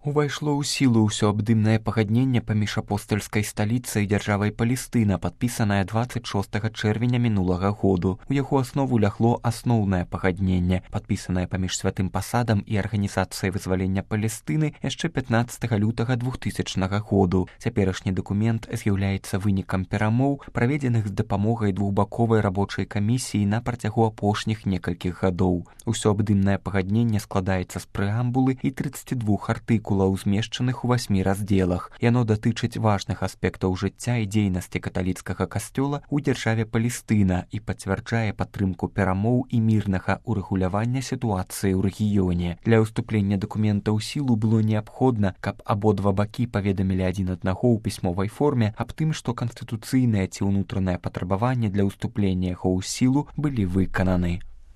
Увайшло ў сілу ўсёабдымнае пагадненне паміж апостальскай сталіцай і дзяржавай Палестына, падпісанае 26 чэрвеня мінулага году. У яго аснову лягло асноўнае пагадненне, падпісанае паміж святым пасадам і арганізацыяй вызвалення Палестыны яшчэ 15 лютага 2000 году. Цяперашні дакумент з'яўляецца вынікам перамоў, праведзеных з дапамогай двухбаковай рабочай камісіі на працягу апошніх некалькіх гадоў. Усёабдымнае пагадненне складаецца з прэамбулы і 32 артыкулаў, змешчаных у 8 раздзелах. Яно датычыць важных аспектаў жыцця і дзейнасці каталіцкага касцёла ў дзяржаве Палестына і пацвярджае падтрымку перамоў і мірнага ўрэгулявання сітуацыі ў рэгіёне. Для ўступлення дакумента ў сілу было неабходна, каб абодва бакі паведамілі адзін аднаго ў пісьмовай форме аб тым, што канстытуцыйнае ці ўнутранае патрабаванне для ўступлення яго ў сілу былі выкананы.